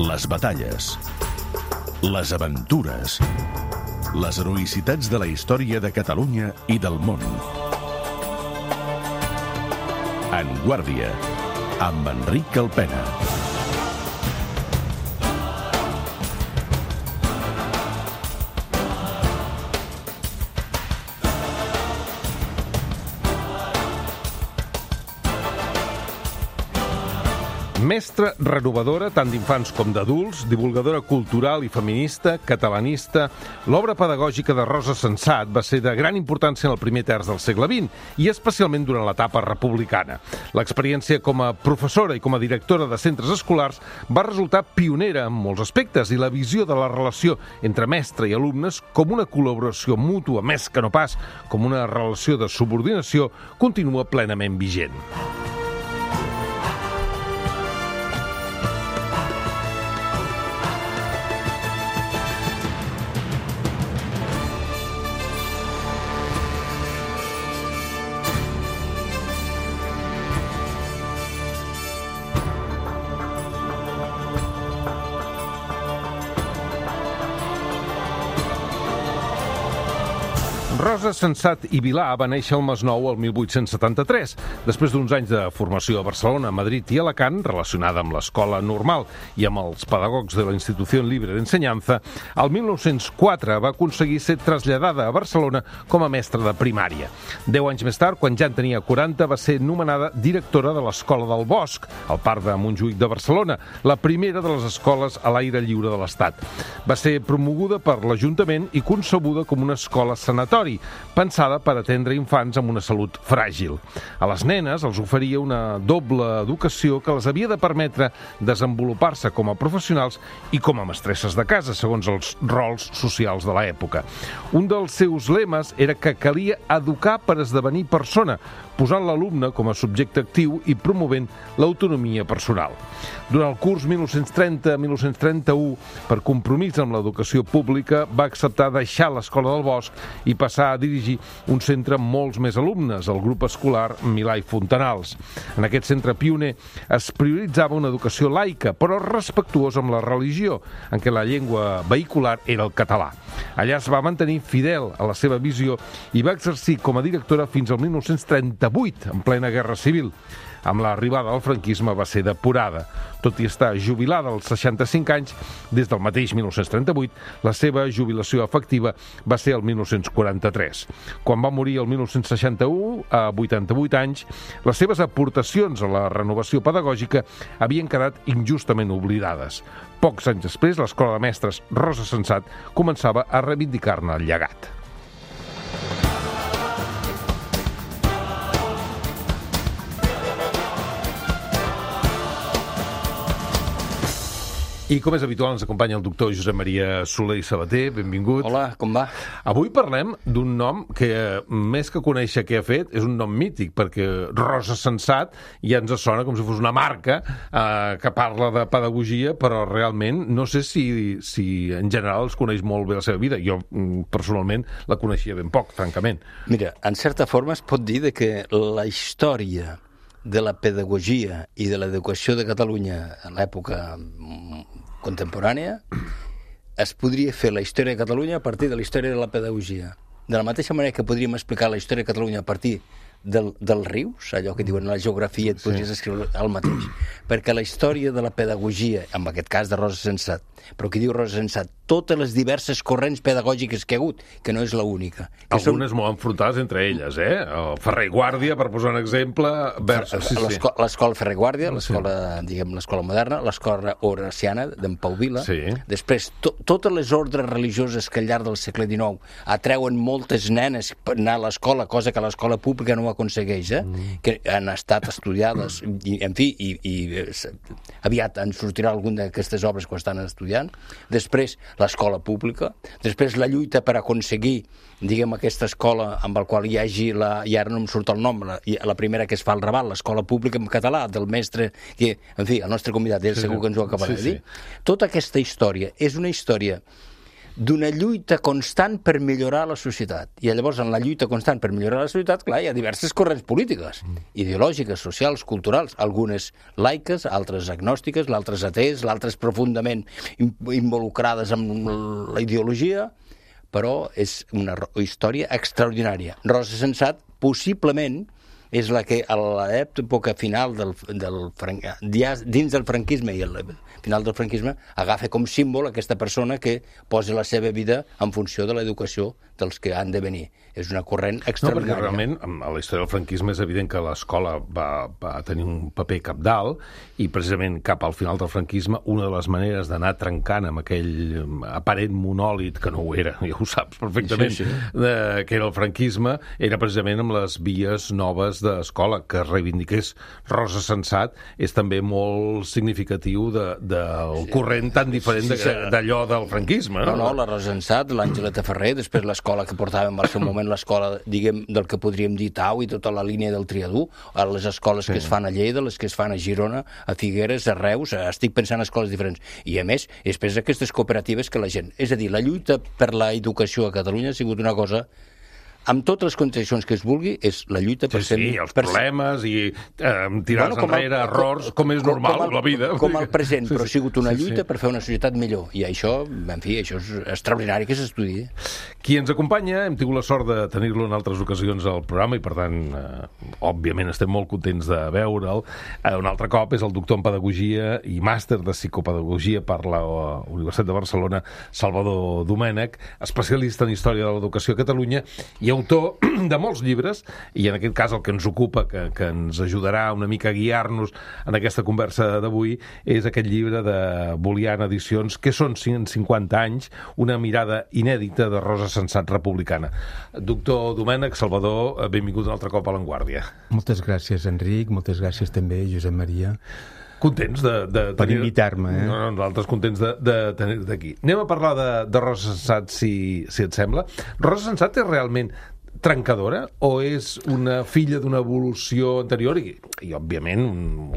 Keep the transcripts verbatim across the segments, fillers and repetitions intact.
les batalles, les aventures, les heroïcitats de la història de Catalunya i del món. En Guàrdia, amb Enric Alpena. Mestra renovadora tant d'infants com d'adults, divulgadora cultural i feminista, catalanista, l'obra pedagògica de Rosa Sensat va ser de gran importància en el primer terç del segle vint i especialment durant l'etapa republicana. L'experiència com a professora i com a directora de centres escolars va resultar pionera en molts aspectes i la visió de la relació entre mestre i alumnes com una col·laboració mútua, més que no pas com una relació de subordinació, continua plenament vigent. Rosa Sensat i Vilà va néixer al Masnou el mil vuit-cents setanta-tres, després d'uns anys de formació a Barcelona, Madrid i Alacant, relacionada amb l'escola normal i amb els pedagogs de la Institució Libre d'Ensenyança. El mil nou-cents quatre va aconseguir ser traslladada a Barcelona com a mestra de primària. Deu anys més tard, quan ja en tenia quaranta, va ser nomenada directora de l'Escola del Bosc, al Parc de Montjuïc de Barcelona, la primera de les escoles a l'aire lliure de l'Estat. Va ser promoguda per l'Ajuntament i concebuda com una escola sanatori, pensada per atendre infants amb una salut fràgil. A les nenes els oferia una doble educació que les havia de permetre desenvolupar-se com a professionals i com a mestresses de casa, segons els rols socials de l'època. Un dels seus lemes era que calia educar per esdevenir persona, posant l'alumne com a subjecte actiu i promovent l'autonomia personal. Durant el curs mil nou-cents trenta a mil nou-cents trenta-u, per compromís amb l'educació pública, va acceptar deixar l'Escola del Bosc i passar a dirigir un centre amb molts més alumnes, el grup escolar Milà i Fontanals. En aquest centre pioner es prioritzava una educació laica, però respectuosa amb la religió, en què la llengua vehicular era el català. Allà es va mantenir fidel a la seva visió i va exercir com a directora fins al mil nou-cents trenta-vuit, en plena Guerra Civil. Amb l'arribada del franquisme va ser depurada. Tot i estar jubilada als seixanta-cinc anys, des del mateix mil nou-cents trenta-vuit, la seva jubilació efectiva va ser el mil nou-cents quaranta-tres. Quan va morir el mil nou-cents seixanta-u, a vuitanta-vuit anys, les seves aportacions a la renovació pedagògica havien quedat injustament oblidades. Pocs anys després, l'Escola de Mestres Rosa Sensat començava a reivindicar-ne el llegat. I com és habitual ens acompanya el doctor Josep Maria Soler i Sabater. Benvingut. Hola, com va? Avui parlem d'un nom que, més que conèixer què ha fet, és un nom mític, perquè Rosa Sensat ja ens sona com si fos una marca eh, que parla de pedagogia, però realment no sé si, si en general es coneix molt bé la seva vida. Jo, personalment, la coneixia ben poc, francament. Mira, en certa forma es pot dir que la història de la pedagogia i de l'educació de Catalunya en l'època contemporània es podria fer la història de Catalunya a partir de la història de la pedagogia. De la mateixa manera que podríem explicar la història de Catalunya a partir del, dels rius, allò que diuen la geografia, et podries sí. escriure el mateix. Perquè la història de la pedagogia, en aquest cas de Rosa Sensat, però qui diu Rosa Sensat, totes les diverses corrents pedagògiques que hi ha hagut, que no és l'única. Algunes són... molt enfrontades entre elles, eh? El Ferrer i Guàrdia, per posar un exemple... Vers... Sí, sí. L'escola Ferrer i Guàrdia, l'escola, sí. diguem, l'escola moderna, l'escola horaciana d'en Pau Vila. Sí. Després, to totes les ordres religioses que al llarg del segle dinou atreuen moltes nenes per anar a l'escola, cosa que l'escola pública no aconsegueix, eh? Mm. que han estat estudiades, i, en fi, i, i aviat en sortirà alguna d'aquestes obres que estan estudiant. Després, l'escola pública, després la lluita per aconseguir, diguem, aquesta escola amb la qual hi hagi, la, i ara no em surt el nom, la, la primera que es fa al Raval, l'escola pública en català, del mestre, que, en fi, el nostre convidat, ell sí, segur que ens ho acabarà sí, de dir. Sí. Tota aquesta història és una història d'una lluita constant per millorar la societat. I llavors, en la lluita constant per millorar la societat, clar, hi ha diverses corrents polítiques, ideològiques, socials, culturals, algunes laiques, altres agnòstiques, l'altres atees, l'altres profundament involucrades amb la ideologia, però és una història extraordinària. Rosa Sensat, possiblement, és la que a l'època final del, del dins del franquisme i al final del franquisme agafa com símbol aquesta persona que posa la seva vida en funció de l'educació dels que han de venir. És una corrent extraordinària. No, perquè realment, a la història del franquisme és evident que l'escola va, va tenir un paper cabdal i precisament cap al final del franquisme una de les maneres d'anar trencant amb aquell aparent monòlit, que no ho era, ja ho saps perfectament, sí, sí. De, que era el franquisme, era precisament amb les vies noves d'escola, que reivindiqués Rosa Sensat és també molt significatiu de, del sí. corrent tan diferent sí, sí, d'allò del franquisme. No, no, no la Rosa Sensat, l'Àngela Ferrer, després l'escola que portàvem al seu moment, l'escola, diguem, del que podríem dir Tau i tota la línia del Triadú, a les escoles sí. que es fan a Lleida, les que es fan a Girona, a Figueres, a Reus, estic pensant en escoles diferents. I a més, després aquestes cooperatives que la gent... És a dir, la lluita per la educació a Catalunya ha sigut una cosa... amb totes les contradiccions que es vulgui, és la lluita per sí, ser... Sí, els per problemes i eh, tirar-se bueno, enrere, el, errors, com, com és normal com el, la vida. Com el present, sí, però ha sigut una lluita sí, sí. per fer una societat millor. I això, en fi, això és extraordinari que s'estudi. Qui ens acompanya, hem tingut la sort de tenir-lo en altres ocasions al programa i, per tant, eh, òbviament estem molt contents de veure'l. Eh, un altre cop és el doctor en Pedagogia i màster de Psicopedagogia per la Universitat de Barcelona, Salvador Domènech, especialista en Història de l'Educació a Catalunya i autor de molts llibres, i en aquest cas el que ens ocupa, que, que ens ajudarà una mica a guiar-nos en aquesta conversa d'avui, és aquest llibre de Bolian Edicions, que són cent cinquanta anys, una mirada inèdita de Rosa Sensat republicana. Doctor Domènech, Salvador, benvingut un altre cop a l'Avantguàrdia. Moltes gràcies, Enric, moltes gràcies també, Josep Maria. Contents de, de tenir... Per invitar-me, eh? No, no, nosaltres contents de, de tenir-te aquí. Anem a parlar de, de Rosa Sensat, si, si et sembla. Rosa Sensat és realment trencadora o és una filla d'una evolució anterior i, i òbviament, un,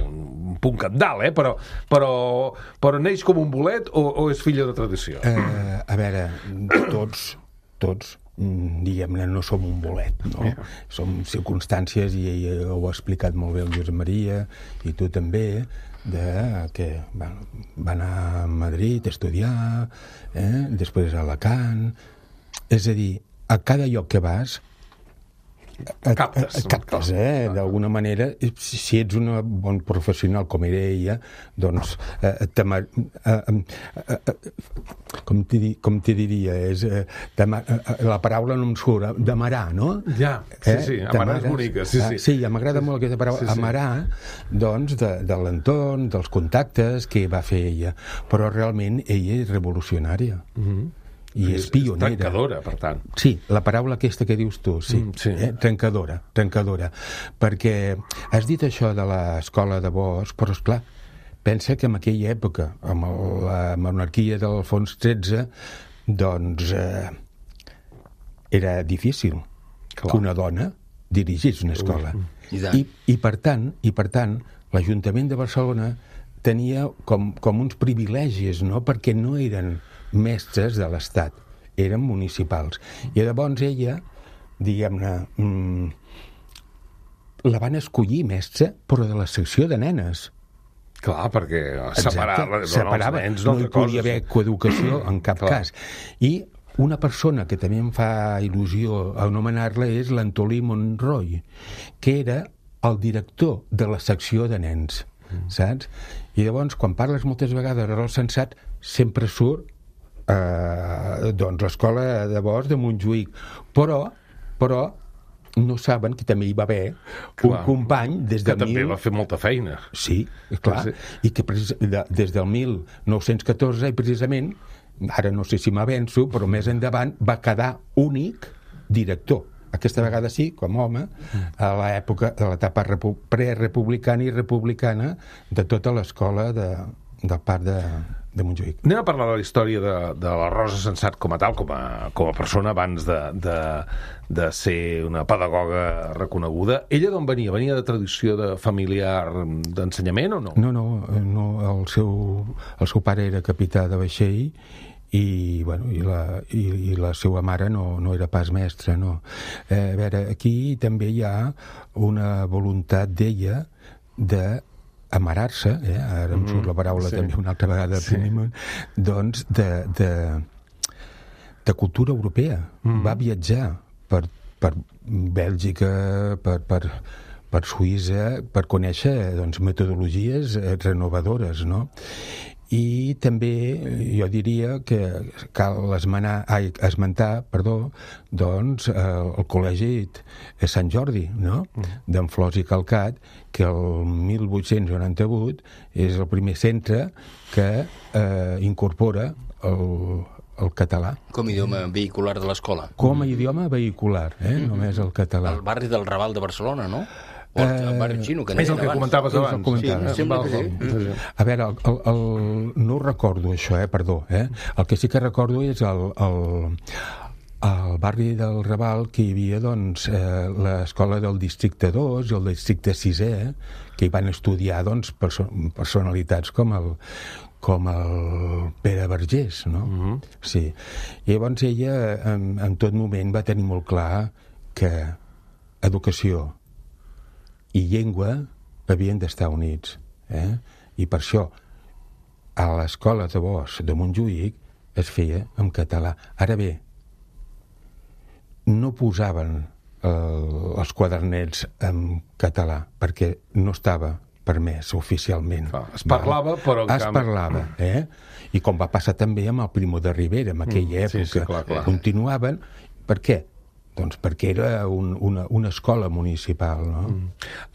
un punt cabdal, eh? Però, però, però neix com un bolet o, o és filla de tradició? Eh, a veure, tots, tots, diguem-ne, no som un bolet, no? Yeah. Som circumstàncies, i, i ho ha explicat molt bé el Josep Maria, i tu també, de que va, va anar a Madrid a estudiar, eh? Després a Alacant. És a dir, a cada lloc que vas et, captes, et captes, eh? D'alguna manera, si ets un bon professional com era ella, doncs eh, eh, eh, com t'hi diria, és eh, la paraula no em surt, d'amarar, no? Ja, sí, sí, amarar és bonica, sí, sí. Sí, m'agrada molt aquesta paraula, sí, sí. Amarar, doncs, de, de l'entorn, dels contactes que va fer ella, però realment ella és revolucionària. Mhm. I és, és pionera. És trencadora, per tant. Sí, la paraula aquesta que dius tu, sí, mm, sí. Eh? trencadora, trencadora. Perquè has dit això de l'escola de Bosch, però esclar, pensa que en aquella època, amb la monarquia d'Alfons tretze, doncs eh, era difícil Clar. que una dona dirigís una escola. Ui, I, i, per tant, i per tant, l'Ajuntament de Barcelona tenia com, com uns privilegis, no? Perquè no eren mestres de l'Estat, eren municipals. I llavors ella, diguem-ne, mmm, la van escollir mestra, però de la secció de nenes. Clar, perquè separar els nens no hi podia haver coeducació en cap Clar. cas. I una persona que també em fa il·lusió anomenar-la és l'Antolí Monroy, que era el director de la secció de nens, mm. saps? I llavors, quan parles moltes vegades de Rosa Sensat, sempre surt eh, doncs l'escola de Bosch de Montjuïc. Però, però no saben que també hi va haver clar, un company des del que també mil... va fer molta feina. Sí, clar, sí. I que de, des del mil nou-cents catorze i precisament, ara no sé si m'avenço, però més endavant va quedar únic director. Aquesta vegada sí, com home, a l'època, a l'etapa repu- prerepublicana i republicana de tota l'escola de, del parc de, de Montjuïc. Anem a parlar de la història de, de la Rosa Sensat com a tal, com a, com a persona abans de, de, de ser una pedagoga reconeguda. Ella d'on venia? Venia de tradició de familiar d'ensenyament o no? No, no, no el, seu, el seu pare era capità de vaixell i, bueno, i, la, i, i la seva mare no, no era pas mestra, no. Eh, a veure, aquí també hi ha una voluntat d'ella de amarar-se, eh? Ara em surt la paraula sí. també una altra vegada, sí. doncs de, de, de cultura europea. Mm. Va viatjar per, per Bèlgica, per, per, per Suïssa, per conèixer doncs, metodologies renovadores, no? I també jo diria que cal esmenar, ai, esmentar perdó, doncs, el, el Col·legi Sant Jordi, no? D'en Flors i Calcat, que el mil vuit-cents noranta-vuit és el primer centre que eh, incorpora el, el català. Com a idioma vehicular de l'escola. Com a idioma vehicular, eh? Mm-hmm. Només el català. El barri del Raval de Barcelona, no? O el uh, barri xino, que és el que abans. comentaves abans. Sí, sembla que sí. A veure, el, el, el, no recordo això, eh? Perdó. Eh? El que sí que recordo és el, el, al barri del Raval que hi havia doncs, eh, l'escola del districte dos i el districte sisè, que hi van estudiar doncs, perso personalitats com el, com el Pere Vergés, no? Mm-hmm. Sí. I llavors ella en, en tot moment va tenir molt clar que educació i llengua havien d'estar units. Eh? I per això a l'escola de Bosch de Montjuïc es feia en català. Ara bé, no posaven eh, els quadernets en català perquè no estava permès oficialment. Ah, es parlava, però... Es camp... parlava, eh? I com va passar també amb el Primo de Rivera, en aquella mm, època. Sí, sí, clar, clar. Continuaven. Per què? Doncs perquè era un, una, una escola municipal, no? Mm.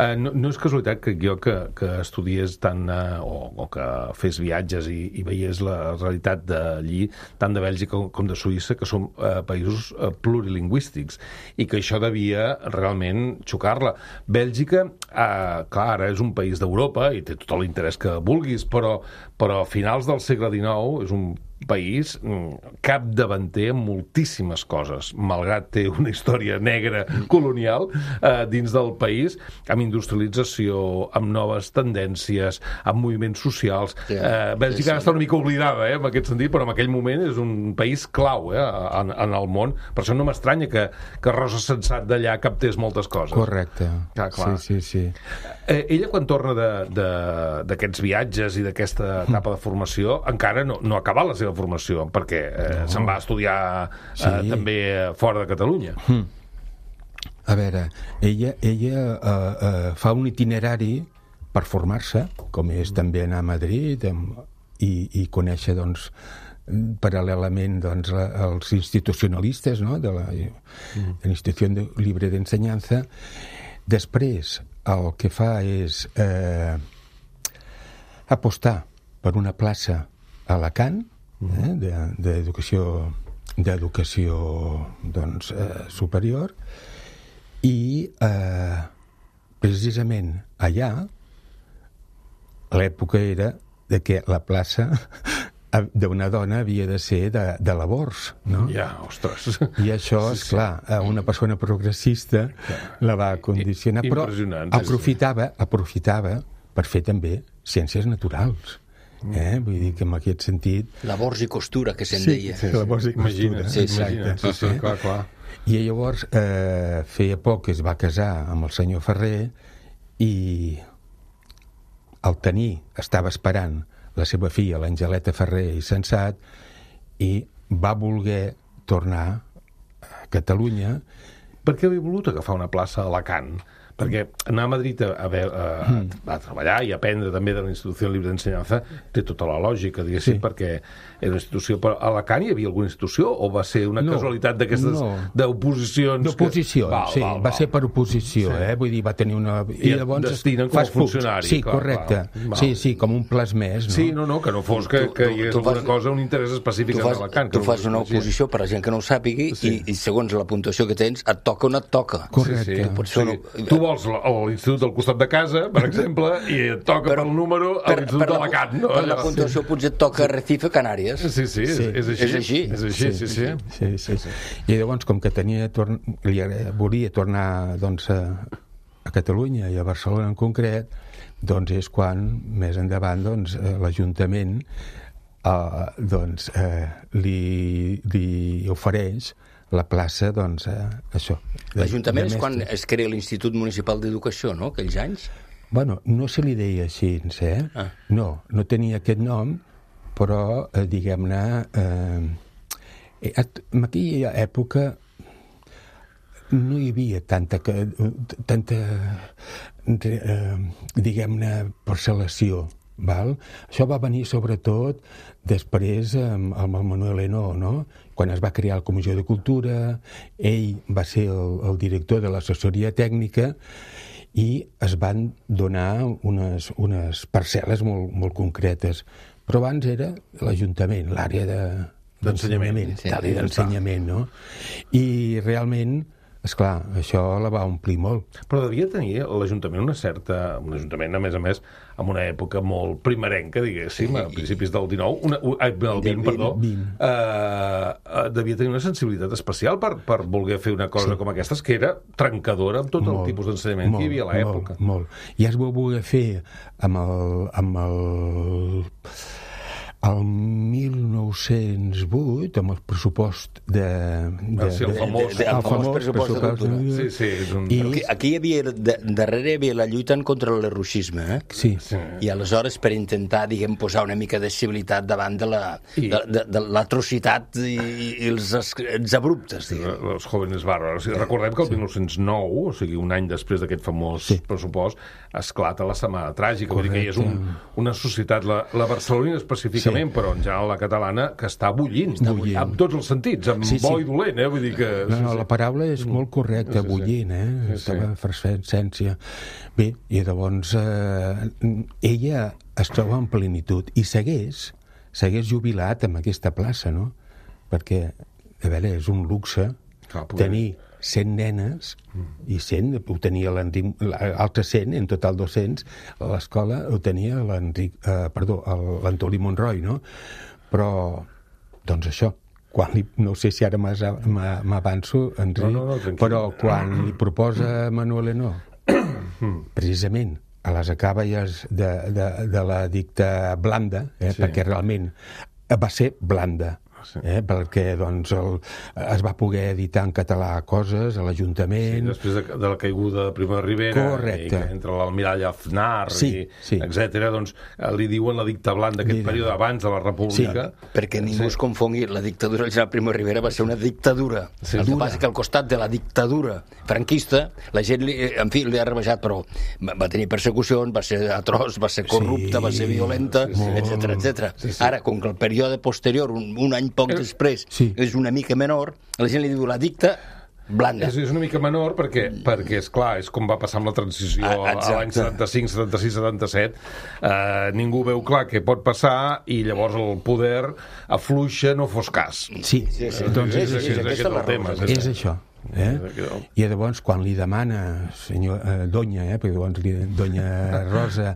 Uh, no? No és casualitat que jo que, que estudiés tant, uh, o, o que fes viatges i, i veiés la realitat d'allí, tant de Bèlgica com, com de Suïssa, que són uh, països uh, plurilingüístics, i que això devia realment xocar-la. Bèlgica, uh, clar, ara és un país d'Europa i té tot l'interès que vulguis, però, però a finals del segle dinou és un país capdavanter en moltíssimes coses, malgrat té una història negra colonial eh, dins del país, amb industrialització, amb noves tendències, amb moviments socials. Sí, eh, Bèlgica sí, sí. està una mica oblidada, eh, en aquest sentit, però en aquell moment és un país clau eh, en, en el món. Per això no m'estranya que, que Rosa Sensat d'allà captés moltes coses. Correcte. Ah, clar. Sí, sí, sí. Eh, ella, quan torna d'aquests viatges i d'aquesta etapa de formació, encara no, no acaba la seva formació, perquè eh, no. se'n va estudiar eh, sí. també fora de Catalunya. Mm. A veure, ella, ella uh, uh, fa un itinerari per formar-se, com és també anar a Madrid amb, i, i conèixer, doncs, paral·lelament doncs, la, els institucionalistes, no?, de la, mm. de l'Institució Libre d'Ensenyança. Després, el que fa és eh, apostar per una plaça a Alacant, eh, d'educació d'educació doncs, eh, superior, i eh, precisament allà l'època era de que la plaça d'una dona havia de ser de, de labors, no? Ja, ostres. I això, sí, esclar, a una persona progressista la va condicionar, però aprofitava, aprofitava per fer també ciències naturals. Eh? Vull dir que en aquest sentit... Labors i costura, que se'n sí, deia. Sí, labors i costura. Sí, exacte. Sí, sí, clar, clar. I llavors, eh, feia poc que es va casar amb el senyor Ferrer i al tenir, estava esperant la seva filla, l'Angeleta Ferrer i Sensat, i va voler tornar a Catalunya. Per què havia volut agafar una plaça a Alacant? Perquè anar a Madrid a, a, a, a treballar i aprendre també de l'Institució Libre d'Ensenyança té tota la lògica, diguéssim, sí. perquè era una institució... Però a Alacant hi havia alguna institució o va ser una no, casualitat d'aquestes no. d'oposicions? D'oposició, que... val, sí, val, va val. ser per oposició, sí. eh? Vull dir, va tenir una... I, I llavors destinen com a funcionari. Sí, clar, correcte. Val. Sí, sí, com un plas més, no? Sí, no, no, que no fos que, que hi hagués alguna fas, cosa, un interès específic fas, a Alacant. Tu fas una oposició per a gent que no ho sàpigui sí. i, i segons la puntuació que tens et toca o no et toca. Correcte. Sí, sí. Sí. Tu vols l'institut del costat de casa, per exemple, i et toca per, pel número a l'Institut d'Alacant. No? Per la puntuació potser et toca Recife, Canàries. Sí, sí, és, sí. és així. És així. És així, sí, sí. sí, sí, sí. I llavors, com que tenia torn... li volia tornar doncs, a, a Catalunya i a Barcelona en concret, doncs és quan, més endavant, doncs, l'Ajuntament uh, doncs, uh, li, li ofereix la plaça, doncs, uh, això. L'Ajuntament és quan es crea l'Institut Municipal d'Educació, no?, aquells anys? Bueno, no se li deia així, eh? Ah. No, no tenia aquest nom, però, eh, diguem-ne, eh, en aquella època no hi havia tanta, tanta eh, diguem-ne, parcel·lació, val? Això va venir sobretot després amb, amb el Manuel Henó, no? Quan es va crear la Comissió de Cultura, ell va ser el, el director de l'assessoria tècnica i es van donar unes, unes parcel·les molt, molt concretes. Però abans era l'Ajuntament, l'àrea de, d'ensenyament, sí, l'àrea d'ensenyament, no? I realment, esclar, això la va omplir molt. Però devia tenir l'Ajuntament una certa... Un Ajuntament, a més a més, en una època molt primerenca, diguéssim, sí, a principis del dinou, una, el vint, perdó, eh, devia tenir una sensibilitat especial per, per voler fer una cosa sí. com aquestes, que era trencadora amb tot molt, el tipus d'ensenyament molt, que hi havia a l'època. Molt, molt. I es va voler fer amb el... Amb el el mil nou-cents vuit, amb el pressupost de... de, sí, el famós, de, de, el famós pressupost de cultura. Sí, sí, és un... I aquí, aquí hi havia, de, darrere hi havia la lluita en contra de l'erruxisme, eh? Sí. sí. I aleshores, per intentar, diguem, posar una mica de civilitat davant de la, I... de, de, de l'atrocitat i, i els, els abruptes, diguem. Els jóvenes bàrbars. Recordem que el sí. mil nou-cents nou, o sigui, un any després d'aquest famós sí. pressupost, esclata la Setmana Tràgica. Vull dir que hi és un, una societat, la, la barcelonina específicament, sí. però en general la catalana, que està bullint, està bullint. Amb tots els sentits, amb sí, sí. bo i dolent, eh? Vull dir que... No, no, sí, la paraula és molt correcta, sí, sí. bullint, eh? Sí, estava sí. frescència. Bé, i llavors eh, ella es troba en plenitud i segueix, segueix jubilat amb aquesta plaça, no? Perquè, a veure, és un luxe ah, tenir cent nenes, i cent, ho tenia l'Enric, l'altre cent, en total dos-cents, a l'escola ho tenia l'Enric, eh, perdó, l'Antoni Monroi, no? Però, doncs això, quan li, no sé si ara m'avanço, Enric, no, no, no, però quan li proposa Manuel Henó, precisament, a les acaballes de, de, de la dicta blanda, eh, sí. perquè realment va ser blanda, sí. eh, perquè doncs, el, es va poder editar en català coses a l'Ajuntament. Sí, després de, de la caiguda de Primo de Rivera, correcte. I que entre l'almirall Aznar, sí, i, sí. etcètera, doncs li diuen la dicta blanda d'aquest període abans de la República. Sí, perquè ningú sí. es confongui, la dictadura del general Primo de Rivera va ser una dictadura. Sí, el que dura. Passa que al costat de la dictadura franquista, la gent, li, en fi, li ha rebejat, però va tenir persecucions, va ser atroç, va ser corrupta, sí, va ser violenta, sí, etcètera, etcètera. Sí, sí. Ara, com que el període posterior, un, un any poc eh, després, sí. és una mica menor, la gent li diu la dicta blanda. És, és una mica menor perquè, perquè és clar, és com va passar amb la transició ah, a l'any setanta-cinc, setanta-sis, setanta-set. Uh, ningú veu clar què pot passar i llavors el poder afluixa, no fos cas. Sí, sí, sí. Doncs és, és, és, és, és, és, tema, és, és això. Eh? I llavors quan li demana senyor, eh, Donya, eh, perquè llavors li, Donya Rosa,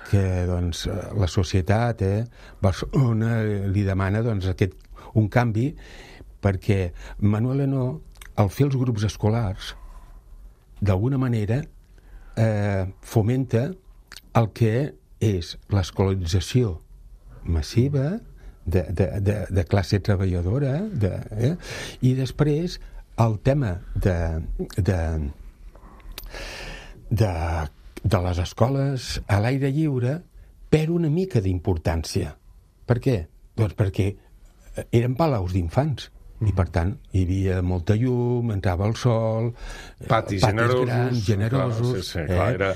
que doncs la societat eh, Barcelona li demana doncs aquest un canvi, perquè Manuel Henó, al fer els grups escolars, d'alguna manera eh, fomenta el que és l'escolarització massiva de, de, de, de classe treballadora, de, eh, i després el tema de, de, de, de les escoles a l'aire lliure perd una mica d'importància. Per què? Doncs perquè eren palaus d'infants i per tant hi havia molta llum, entrava el sol, patis, patis generosos, grans, generosos, clar, sí, sí, clar, eh? era...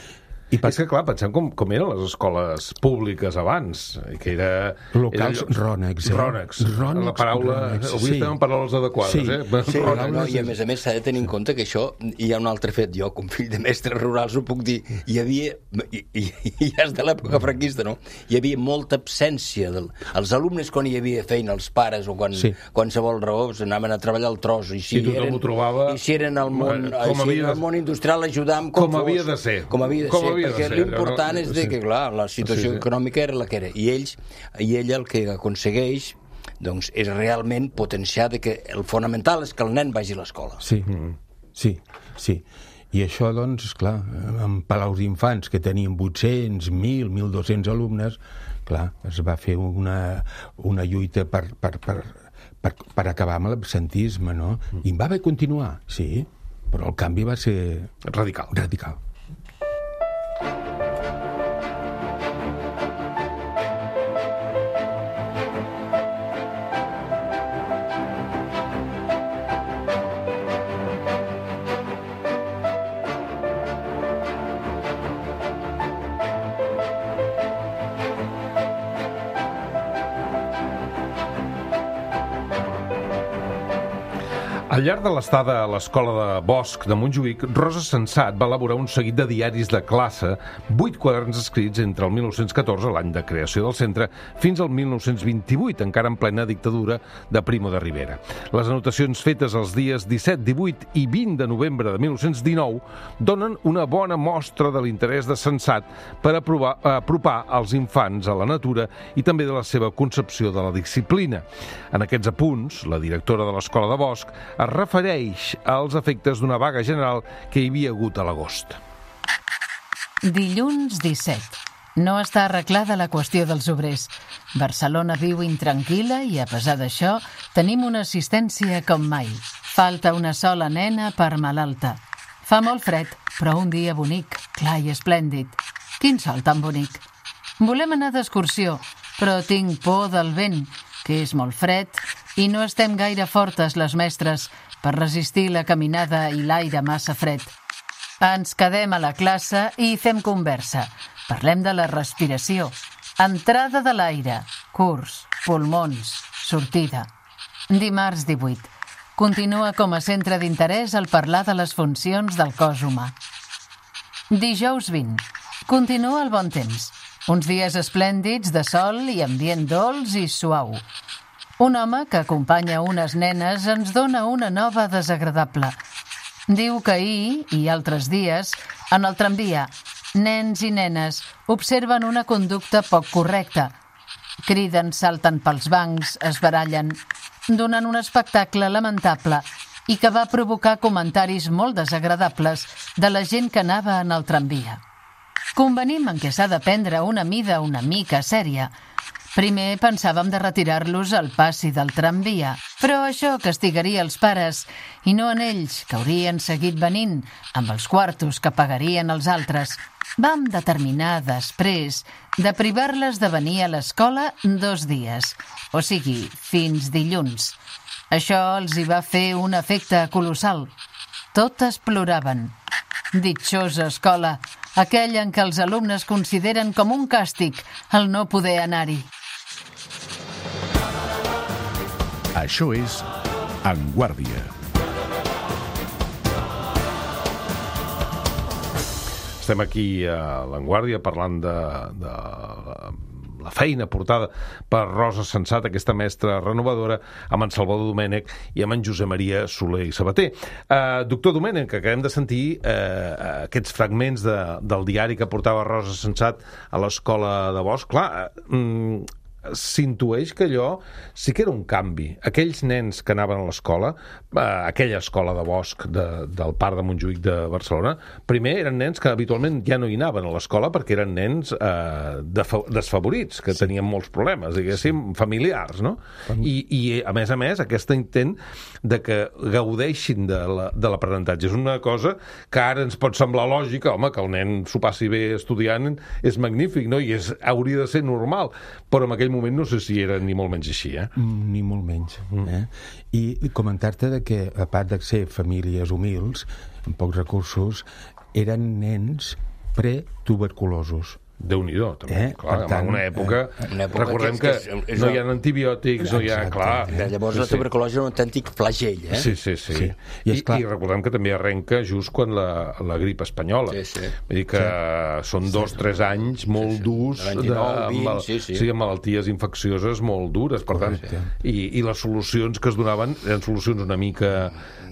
I per... És que, clar, pensem com, com eren les escoles públiques abans, que era... Locals era... rònecs, eh? Rònecs. Rònecs, la paraula... rònecs, avui sí. estem en paraules adequades, sí. eh? Sí, no, no, i a més a més s'ha de tenir en compte que això, hi ha un altre fet, jo com fill de mestres rurals ho puc dir, hi havia, i, i, i ja és de l'època franquista, no? Hi havia molta absència. Del... Els alumnes, quan hi havia feina, els pares, o quan sí. qualsevol raó, anaven a treballar al tros, i si, I eren, trobava... i si eren al món, com si eren de... al món industrial, ajudàvem com, com fos. havia de ser. Com havia de com ser, havia perquè l'important tant és de que, clar, la situació sí, sí. econòmica era la que era. I ells, i ella el que aconsegueix doncs, és realment potenciar de que el fonamental és que el nen vagi a l'escola. Sí, mm. sí, sí. I això, doncs, esclar, en palaus d'infants que tenien vuit-cents, mil, mil dos-cents alumnes, clar, es va fer una, una lluita per, per, per, per, per acabar amb l'absentisme, no? I va haver de continuar, sí, però el canvi va ser... Radical. Radical. Al llarg de l'estada a l'Escola de Bosch de Montjuïc, Rosa Sensat va elaborar un seguit de diaris de classe, vuit quaderns escrits entre el mil nou-cents catorze, l'any de creació del centre, fins al mil nou-cents vint-i-vuit, encara en plena dictadura de Primo de Rivera. Les anotacions fetes els dies disset, divuit i vint de novembre de mil nou-cents dinou donen una bona mostra de l'interès de Sensat per aprovar, apropar els infants a la natura i també de la seva concepció de la disciplina. En aquests apunts, la directora de l'Escola de Bosch es refereix als efectes d'una vaga general que hi havia hagut a l'agost. Dilluns disset. No està arreglada la qüestió dels obrers. Barcelona viu intranquil·la i, a pesar d'això, tenim una assistència com mai. Falta una sola nena per malalta. Fa molt fred, però un dia bonic, clar i esplèndid. Quin sol tan bonic. Volem anar d'excursió, però tinc por del vent, que és molt fred, i no estem gaire fortes, les mestres, per resistir la caminada i l'aire massa fred. Ens quedem a la classe i fem conversa. Parlem de la respiració. Entrada de l'aire, curs, pulmons, sortida. Dimarts divuit. Continua com a centre d'interès el parlar de les funcions del cos humà. Dijous vint. Continua el bon temps. Uns dies esplèndids de sol i ambient dolç i suau. Un home que acompanya unes nenes ens dona una nova desagradable. Diu que ahir i altres dies, en el tramvia, nens i nenes observen una conducta poc correcta. Criden, salten pels bancs, es barallen, donant un espectacle lamentable i que va provocar comentaris molt desagradables de la gent que anava en el tramvia. Convenim en què s'ha de prendre una mida una mica sèria. Primer pensàvem de retirar-los al passi del tramvia, però això castigaria els pares i no en ells, que haurien seguit venint amb els quartos que pagarien els altres. Vam determinar després de privar-les de venir a l'escola dos dies, o sigui, fins dilluns. Això els hi va fer un efecte colossal. Totes ploraven. Ditxosa escola, aquella en què els alumnes consideren com un càstig el no poder anar-hi. Això és En Guàrdia. Estem aquí a l'Enguàrdia parlant de, de la feina portada per Rosa Sensat, aquesta mestra renovadora, amb en Salvador Domènech i amb en Josep Maria Soler i Sabater. Uh, doctor Domènech, acabem de sentir uh, aquests fragments de, del diari que portava Rosa Sensat a l'Escola de Bosch. Clar, uh, s'intueix que allò sí que era un canvi. Aquells nens que anaven a l'escola, eh, aquella escola de Bosch de, del Parc de Montjuïc de Barcelona, primer eren nens que habitualment ja no hi anaven a l'escola perquè eren nens eh, desfavorits, que sí. tenien molts problemes, diguéssim, familiars, no? I, i a més a més, aquest intent de que gaudeixin de l'aprenentatge és una cosa que ara ens pot semblar lògica, home, que el nen s'ho passi bé estudiant és magnífic, no? I és, hauria de ser normal, però en aquell moment no sé si era ni molt menys així, eh? Ni molt menys. Eh? I comentar-te de que, a part de ser famílies humils, amb pocs recursos, eren nens pretuberculosos. Déu-n'hi-do, també. Eh? Clar, tant, en una època, eh, una època recordem que, que, és, és, no hi ha antibiòtics, no hi ha... Clar, eh? Llavors sí, la tuberculosi és un autèntic flagell, eh? Sí, sí, sí. sí. I, I, I recordem que també arrenca just quan la, la grip espanyola. Sí, sí. Vull dir que sí. són dos, sí. tres anys molt sí, sí. durs de, dinou, vint, amb, sí, sí. Sí, amb malalties infeccioses molt dures, per tant, sí. i, i les solucions que es donaven eren solucions una mica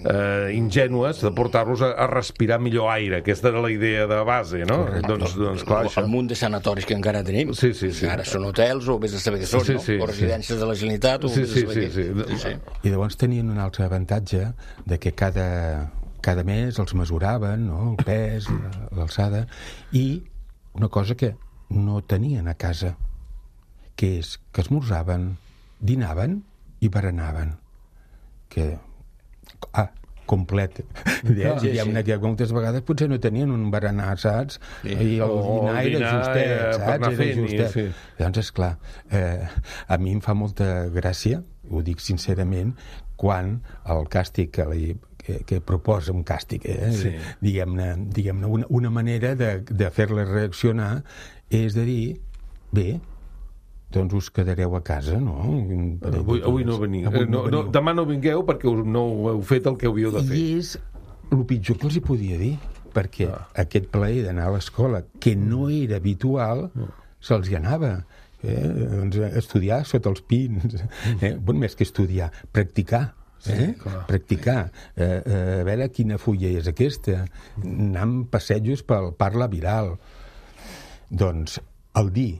eh, ingènues de portar-los a, a respirar millor aire. Aquesta era la idea de base, no? Correcte. Doncs, doncs clar, això... El munt de sanatoris que encara tenim. Sí, sí, sí. Ara són hotels o vés a saber què són, sí, sí, no? O residències sí. de la Generalitat o sí, vés a saber sí, què. sí, sí. Sí, sí. I llavors tenien un altre avantatge de que cada, cada mes els mesuraven, no? El pes, l'alçada, i una cosa que no tenien a casa, que és que esmorzaven, dinaven i berenaven. Que... Ah, complet. Ja, sí, sí. Una que moltes vegades potser no tenien un berenar, saps? Sí. I el o dinar el era justet, saps? Era fent, justet. Sí. Llavors, esclar, eh, a mi em fa molta gràcia, ho dic sincerament, quan el càstig que li que, que proposa un càstig, eh? Sí. diguem-ne, diguem-ne una, una manera de, de fer-la reaccionar és de dir, bé, doncs us quedareu a casa, no? Avui, avui no veniu. Avui no, no, no, demà no vingueu perquè no heu fet el que hauríeu de fer. I és el pitjor que els hi podia dir, perquè ah. aquest plaer d'anar a l'escola, que no era habitual, no. se'ls hi anava. Eh? Doncs estudiar sota els pins. Eh? Bon, més que estudiar, practicar. Eh? Sí, practicar. Eh, eh, a veure quina fulla és aquesta. Anar amb passejos pel parla viral. Doncs el dir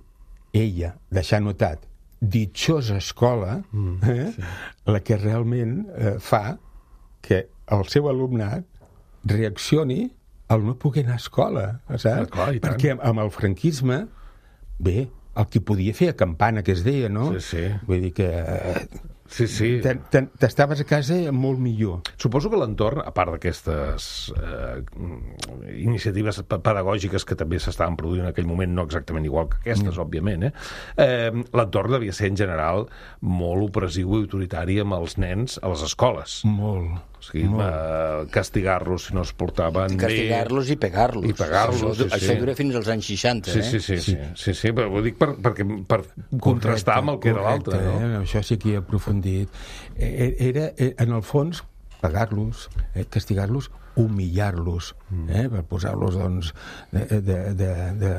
ella, deixar notat, ditxosa escola, mm, eh? sí. la que realment eh, fa que el seu alumnat reaccioni al no poder anar a escola, saps? Ah, clar, perquè amb el franquisme, bé, el que podia fer a campana, que es deia, no? Sí, sí. Vull dir que... Eh, Sí, sí. T'estaves a casa molt millor. Suposo que l'entorn, a part d'aquestes eh, iniciatives pedagògiques que també s'estaven produint en aquell moment, no exactament igual que aquestes, mm. òbviament, eh? eh l'entorn devia ser en general molt opressiu i autoritari amb els nens a les escoles. Molt. O sigui, eh, castigar-los si no es portaven bé. Castigar-los i pegar-los. I pegar-los, Això, sí, això sí. dura fins als anys seixanta, sí, eh? Sí, sí, sí. sí. sí, sí però ho dic per, perquè, per correcte, contrastar amb el que correcte, era l'altre. No? Eh? Això sí que hi ha aprofundit. Era, en el fons, pegar-los, eh? castigar-los, humillar-los, eh? per posar-los, doncs, de... de, de, de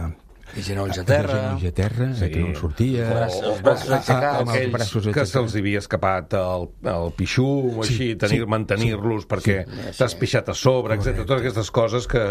I genolls a terra. De genolls a terra, sí. que no en sortia. Els braços aixecats. Aquells que se'ls havia escapat el, el pixum, o sí, així, tenir, sí, mantenir-los sí, perquè sí, t'has pixat a sobre, etcètera. Totes aquestes coses que,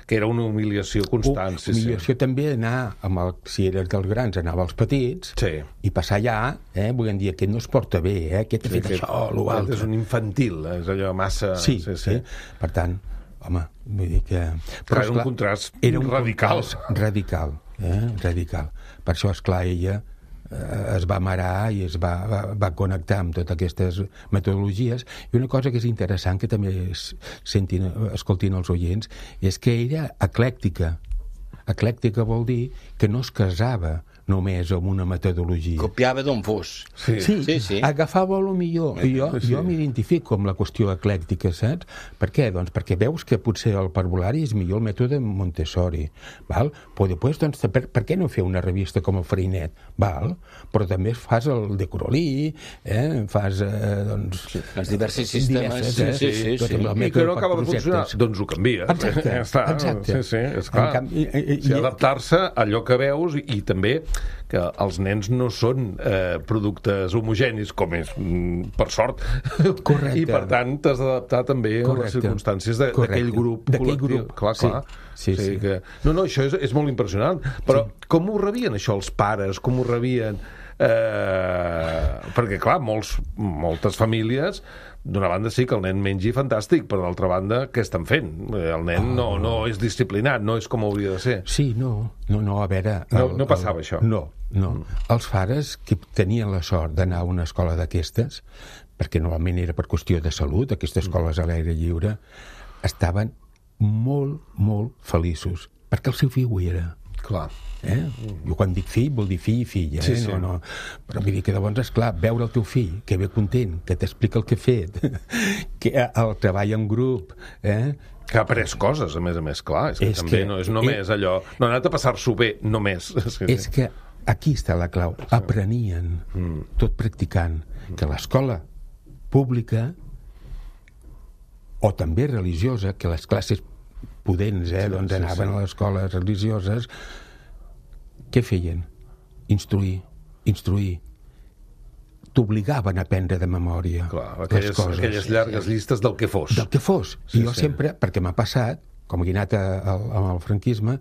que era una humiliació constant. Sí, humiliació sí. també anar, amb el, si eres dels grans, anava als petits, sí. i passar allà, eh, volent dir, aquest no es porta bé, eh, aquest ha fet sí, això, o l'altre. És un infantil, és allò massa... Sí, sí, sí. sí. Per tant, home, vull dir que... Però, era un contrast era un radical. Radical. Eh? radical. Per això, esclar, ella eh, es va marar i es va, va, va connectar amb totes aquestes metodologies. I una cosa que és interessant, que també es, sentin, escoltin els oients, és que era eclèctica. Eclèctica vol dir que no es casava només amb una metodologia. Copiava d'on fos. Sí, sí, sí, sí. Agafava el millor. I jo, sí. jo m'identifico amb la qüestió eclèctica, saps? Per què? Doncs perquè veus que potser el parvulari és millor el mètode Montessori, val? Però després, doncs, per, per què no fer una revista com el Freinet, val? Però també fas el de Corolí, eh? Fas, eh, doncs... Sí, els diversos sistemes. Diverses, eh? Sí, sí, sí. sí. I que no acaba de funcionar, doncs ho canvia. Exacte, ja està. exacte. Sí, sí, és clar. Canvi, i, i, sí, adaptar-se a allò que veus i, i també que els nens no són eh, productes homogenis, com és, mm, per sort. Correcte. I, per tant, t'has d'adaptar també Correcte. a les circumstàncies d'aquell grup col·lectiu. Grup. Clar, clar. Sí, sí, sí. Que... No, no, això és, és molt impressionant. Però sí. com ho rebien, això, els pares? Com ho rebien? Eh... Perquè, clar, molts, moltes famílies... D'una banda sí que el nen mengi fantàstic, però d'altra banda, què estan fent? El nen no, no és disciplinat, no és com hauria de ser. Sí, no, no, no a veure... El, no, no passava el, això. No, no. Mm. Els pares que tenien la sort d'anar a una escola d'aquestes, perquè normalment era per qüestió de salut, aquestes escoles a l'aire lliure, estaven molt, molt feliços, perquè el seu fill ho era. Clar. Eh? Jo quan dic fill, vol dir fill i filla, eh? Sí, sí. No, no. Però vull dir que llavors, esclar, veure el teu fill, que ve content, que t'explica el que ha fet, que el treball en grup, eh? Que ha après coses, a més a més, clar. És que és també que, no és només eh, allò... No ha anat a passar-s'ho bé, només. És que, és que aquí està la clau. Aprenien, mm. tot practicant, que l'escola pública o també religiosa, que les classes pudents, eh, sí, doncs sí, anaven sí. a les escoles religioses, què feien? Instruir, instruir. T'obligaven a aprendre de memòria. Clar, aquelles, les coses. Aquelles llargues llistes del que fos. Del que fos. Sí, I jo sí. sempre, perquè m'ha passat, com he anat amb el franquisme,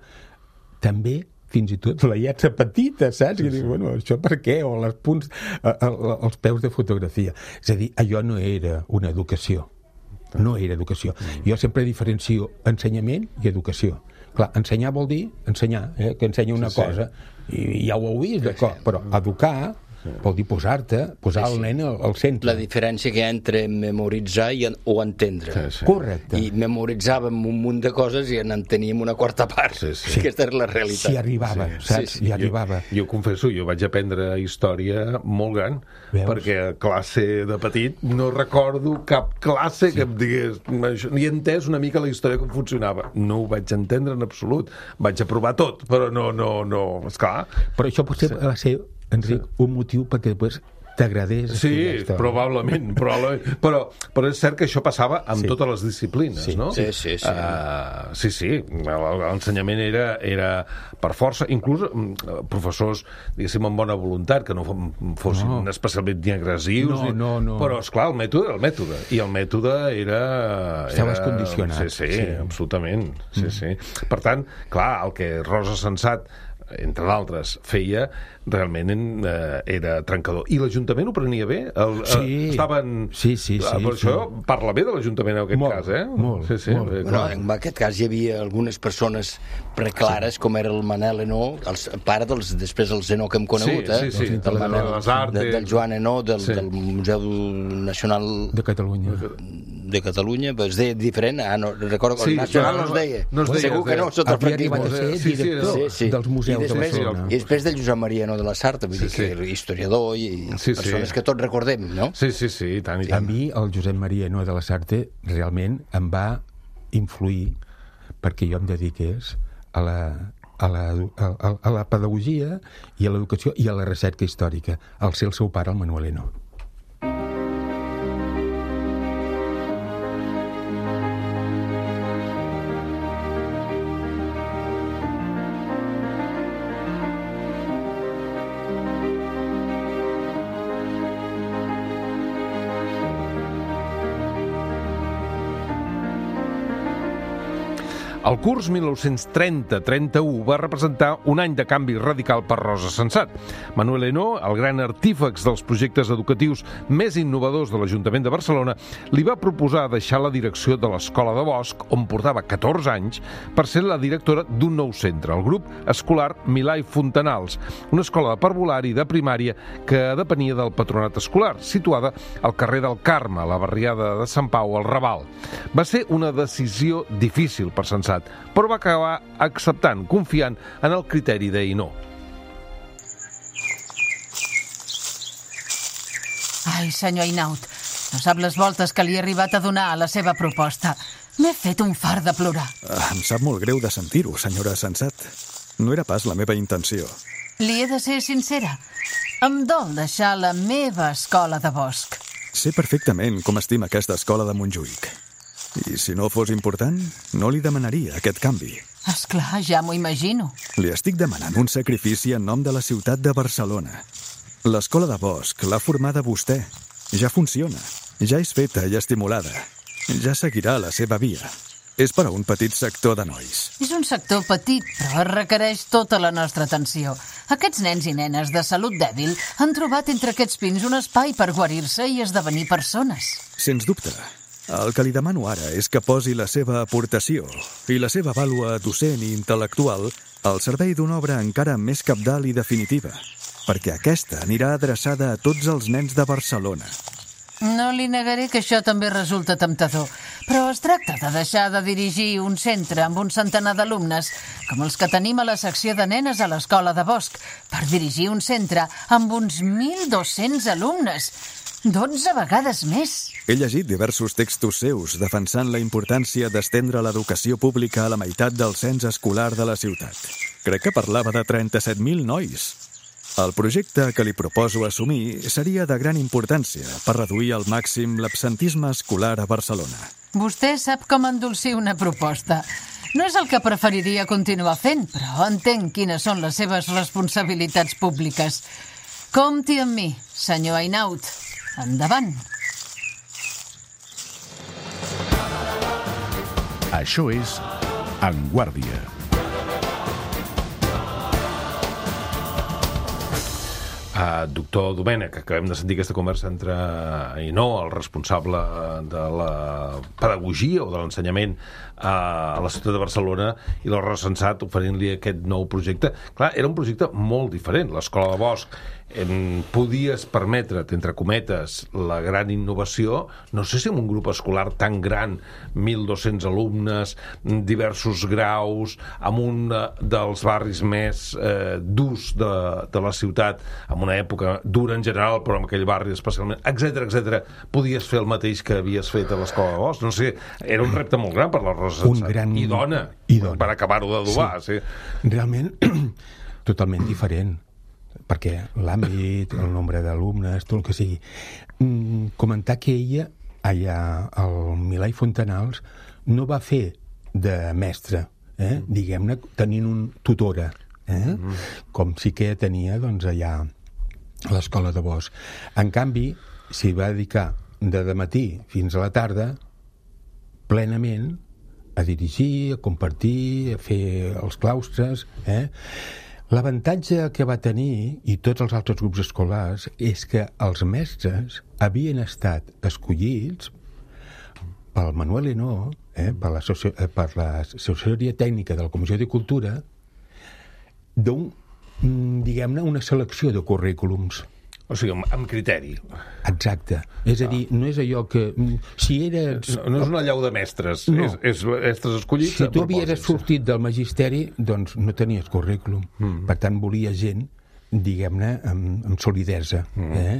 també fins i tot la lletra petita, saps? Sí, sí. I dic, bueno, això per què? O els punts, els peus de fotografia. És a dir, allò no era una educació. No era educació. Jo sempre diferencio ensenyament i educació. Clar, ensenyar vol dir ensenyar, eh? Que ensenya una sí, sí. cosa, i ja ho heu vist, d'acord, però educar vol dir posar-te, posar sí, sí. el nen al, al centre. La diferència que hi ha entre memoritzar i en, o entendre. Sí, sí. Correcte. I memoritzàvem un munt de coses i en teníem una quarta part. Sí, sí. Aquesta era la realitat. Si arribava, sí. saps? Si sí, sí. arribava. Jo, jo confesso, jo vaig aprendre història molt gran, Veus? Perquè a classe de petit no recordo cap classe sí. que em digués... Ni he entès una mica la història com funcionava. No ho vaig entendre en absolut. Vaig aprovar tot, però no, no, no... Esclar. Però això potser sí. va ser... Enric, un motiu perquè després t'agradés sí, probablement, probablement. Però, però és cert que això passava amb sí. totes les disciplines, sí. no? Sí, sí, sí. Uh, sí, sí, l'ensenyament era, era per força, inclús professors, diguéssim, amb bona voluntat, que no fossin no. especialment ni agressius, no, no, no. però, esclar, el mètode era el mètode, i el mètode era... Estaves era... condicionat. Sí, sí, sí, absolutament. Sí, mm. sí. Per tant, clar, el que Rosa Sensat entre d'altres, feia realment eh, era trencador. I l'Ajuntament ho prenia bé? El, sí. Eh, estaven... Sí, sí, sí. Per sí. això parla bé de l'Ajuntament en aquest molt, cas, eh? Molt, sí, sí, molt. Bé, bueno, en aquest cas hi havia algunes persones preclares, sí. com era el Manel Enó, el pare dels, després el Zenó que hem conegut, sí, sí, sí. eh? Del Manel, de, del Joan Enó, del, sí. del Museu Nacional de Catalunya. de Catalunya, es deia diferent, ah, no, recordo que sí, el Nacional no es deia. No es deia Segur que no, sota havia arribat a ser director sí, sí. dels museus I després, de Barcelona. I després del Josep Maria No de la Sarta, vull sí, dir que sí. historiador i sí, persones sí. que tots recordem, no? Sí, sí, sí, i tant, i tant. A mi el Josep Maria No de la Sarta realment em va influir perquè jo em dediqués a la, a la, a, a la pedagogia i a l'educació i a la recerca històrica, al ser el seu pare, el Manuel Enó. El curs mil nou-cents trenta trenta-u va representar un any de canvi radical per Rosa Sensat. Manuel Enó, el gran artífex dels projectes educatius més innovadors de l'Ajuntament de Barcelona, li va proposar deixar la direcció de l'Escola de Bosch, on portava catorze anys, per ser la directora d'un nou centre, el grup escolar Milà i Fontanals, una escola de parvulari de primària que depenia del patronat escolar, situada al carrer del Carme, a la barriada de Sant Pau, al Raval. Va ser una decisió difícil per Sensat, però va acabar acceptant, confiant en el criteri d'Enó. Ai, senyor Einaut, no sap les voltes que li he arribat a donar a la seva proposta. M'he fet un fart de plorar. Em sap molt greu de sentir-ho, senyora Sensat. No era pas la meva intenció. Li he de ser sincera. Em dol deixar la meva escola de Bosch. Sé perfectament com estima aquesta escola de Montjuïc. I si no fos important, no li demanaria aquest canvi. Esclar, ja m'ho imagino. Li estic demanant un sacrifici en nom de la ciutat de Barcelona. L'escola de Bosch l'ha formada vostè. Ja funciona. Ja és feta i estimulada. Ja seguirà la seva via. És per a un petit sector de nois. És un sector petit, però requereix tota la nostra atenció. Aquests nens i nenes de salut dèbil han trobat entre aquests pins un espai per guarir-se i esdevenir persones. Sens dubte. El que li demano ara és que posi la seva aportació i la seva vàlua docent i intel·lectual al servei d'una obra encara més cabdal i definitiva, perquè aquesta anirà adreçada a tots els nens de Barcelona. No li negaré que això també resulta temptador, però es tracta de deixar de dirigir un centre amb un centenar d'alumnes, com els que tenim a la secció de nenes a l'Escola de Bosch, per dirigir un centre amb uns mil dos-cents alumnes, dotze vegades més. He llegit diversos textos seus defensant la importància d'estendre l'educació pública a la meitat del cens escolar de la ciutat. Crec que parlava de trenta-set mil nois. El projecte que li proposo assumir seria de gran importància per reduir al màxim l'absentisme escolar a Barcelona. Vostè sap com endolcir una proposta. No és el que preferiria continuar fent, però entenc quines són les seves responsabilitats públiques. Compti amb mi, senyor Einaut. Endavant. Això és En Guàrdia. Uh, doctor Domènech, acabem de sentir aquesta conversa entre Ainhoa, el responsable de la pedagogia o de l'ensenyament a la ciutat de Barcelona, i l'Horra Sensat oferint-li aquest nou projecte. Clar, era un projecte molt diferent. L'Escola de Bosch en podies permetre't, entre cometes, la gran innovació, no sé si en un grup escolar tan gran, mil dos-cents alumnes, diversos graus, en un dels barris més eh, durs de, de la ciutat, en una època dura en general, però en aquell barri especialment, etcètera, etcètera, podies fer el mateix que havies fet a l'Escola de Bosch. No sé, era un repte molt gran per la Rosa Sensat. Gran... I dona, I dona, per acabar-ho d'adobar. Sí. Sí. Realment, totalment diferent, perquè l'àmbit, el nombre d'alumnes, tot el que sigui. Mm, comentar que ella, allà al Milà i Fontanals, no va fer de mestre, eh? mm. diguem-ne, tenint un tutora, eh? mm. com sí que tenia doncs, allà a l'Escola de Bosch. En canvi, s'hi va dedicar de dematí fins a la tarda, plenament, a dirigir, a compartir, a fer els claustres, eh? L'avantatge que va tenir, i tots els altres grups escolars, és que els mestres havien estat escollits pel Manuel Henó, eh, per la soci... per l'assessoria tècnica de la Comissió de Cultura, d'un, diguem-ne, una selecció de currículums. O sigui, amb criteri. Exacte. És a dir, no és allò que... Si eres... No, no és una llau de mestres, no. és, és mestres escollits. Si tu havies sortit del magisteri, doncs no tenies currículum. Mm. Per tant, volia gent, diguem-ne, amb, amb solidesa. Mm. Eh?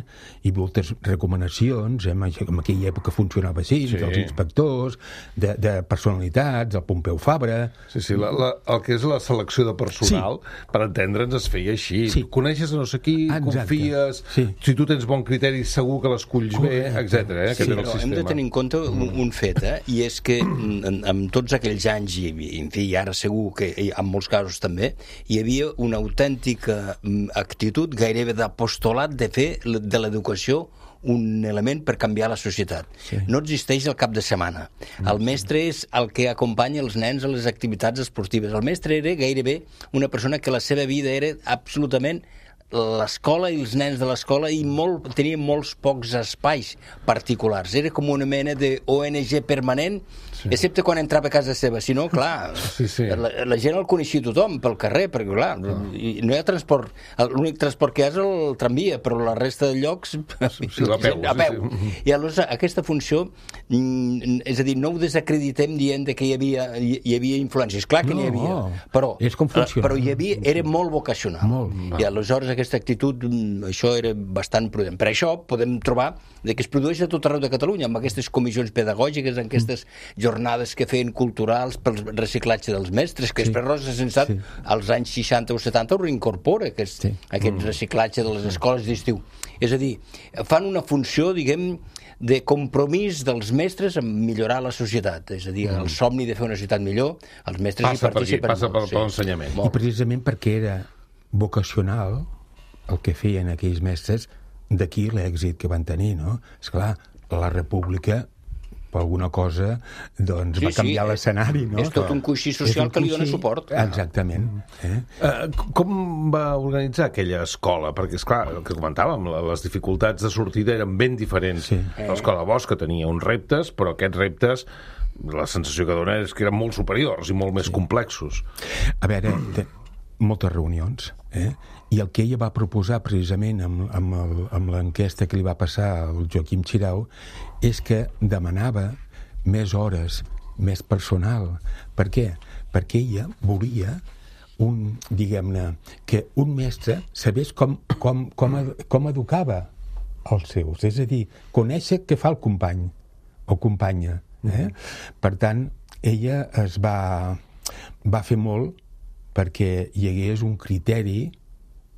I moltes recomanacions, eh? en aquella època funcionava així, sí. dels inspectors, de, de personalitats, del Pompeu Fabra... Sí, sí, la, la, el que és la selecció de personal, sí. per entendre'ns, es feia així. Sí. Coneixes a no sé qui, exacte. Confies, sí. si tu tens bon criteri, segur que l'esculls bé, etcètera. Eh? Sí, però hem de tenir en compte un, un fet, eh? i és que en, en tots aquells anys, i en fi, ara segur que en molts casos també, hi havia una autèntica actitud gairebé d'apostolat de fer de l'educació un element per canviar la societat. Sí. No existeix el cap de setmana. El mestre és el que acompanya els nens a les activitats esportives. El mestre era gairebé una persona que la seva vida era absolutament l'escola i els nens de l'escola, i molt, tenien molts pocs espais particulars. Era com una mena de O N G permanent, sí. excepte quan entrava a casa seva. Si no, clar, sí, sí. La, la gent el coneixia tothom pel carrer, perquè clar, ah. no hi ha transport. L'únic transport que hi ha és el tramvia, però la resta de llocs sí, sí, a peu. A peu. Sí, sí. I aleshores aquesta funció, és a dir, no ho desacreditem dient que hi havia, hi, hi havia influències. Clar que no, n'hi havia, no. però, és com funciona. però hi havia, era molt vocacional. Molt. I aleshores aquesta actitud, això era bastant prudent. Per això podem trobar que es produeix a tot arreu de Catalunya, amb aquestes comissions pedagògiques, en aquestes jornades que feien culturals pel reciclatge dels mestres, que sí. després Rosa Sensat, sí. als anys seixanta o setanta, ho reincorpora, aquest, sí. aquest mm. reciclatge de les escoles d'estiu. És a dir, fan una funció, diguem, de compromís dels mestres en millorar la societat. És a dir, mm. el somni de fer una societat millor, els mestres passa hi participen. Per aquí, passa per, sí. per l'ensenyament. I precisament perquè era vocacional el que feien aquells mestres, d'aquí l'èxit que van tenir, no? Esclar, la República, per alguna cosa, doncs sí, va canviar sí, l'escenari, no? És tot un coixí social que li dona suport. Exactament. Eh? Uh, com va organitzar aquella escola? Perquè, esclar, el que comentàvem, les dificultats de sortida eren ben diferents. Sí. L'Escola Bosch, que tenia uns reptes, però aquests reptes, la sensació que dona és que eren molt superiors i molt més sí. complexos. A veure, moltes reunions, eh? I el que ella va proposar precisament amb, amb, el, amb l'enquesta que li va passar al Joaquim Xirau és que demanava més hores, més personal. Per què? Perquè ella volia un, diguem-ne, que un mestre sabés com, com, com, com educava els seus. És a dir, conèixer què fa el company o companya. Eh? Per tant, ella es va, va fer molt perquè hi hagués un criteri,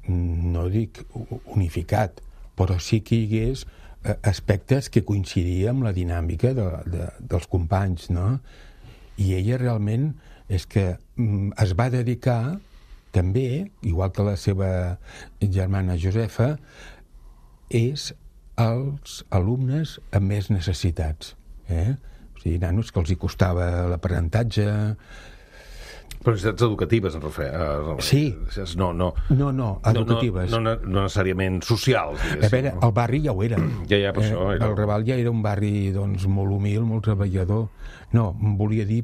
no dic unificat, però sí que hi hagués aspectes que coincidien amb la dinàmica de, de, dels companys, no? I ella realment és que es va dedicar també, igual que la seva germana Josefa, és als alumnes amb més necessitats, eh? O sigui, nanos que els hi costava l'aprenentatge, Però necessitats educatives, en refer. Sí. No, no. No, no, educatives. No, no, no necessàriament socials. A veure, el barri ja ho era. Ja, ja, per eh, això. Era... El Raval ja era un barri, doncs, molt humil, molt treballador. No, em volia dir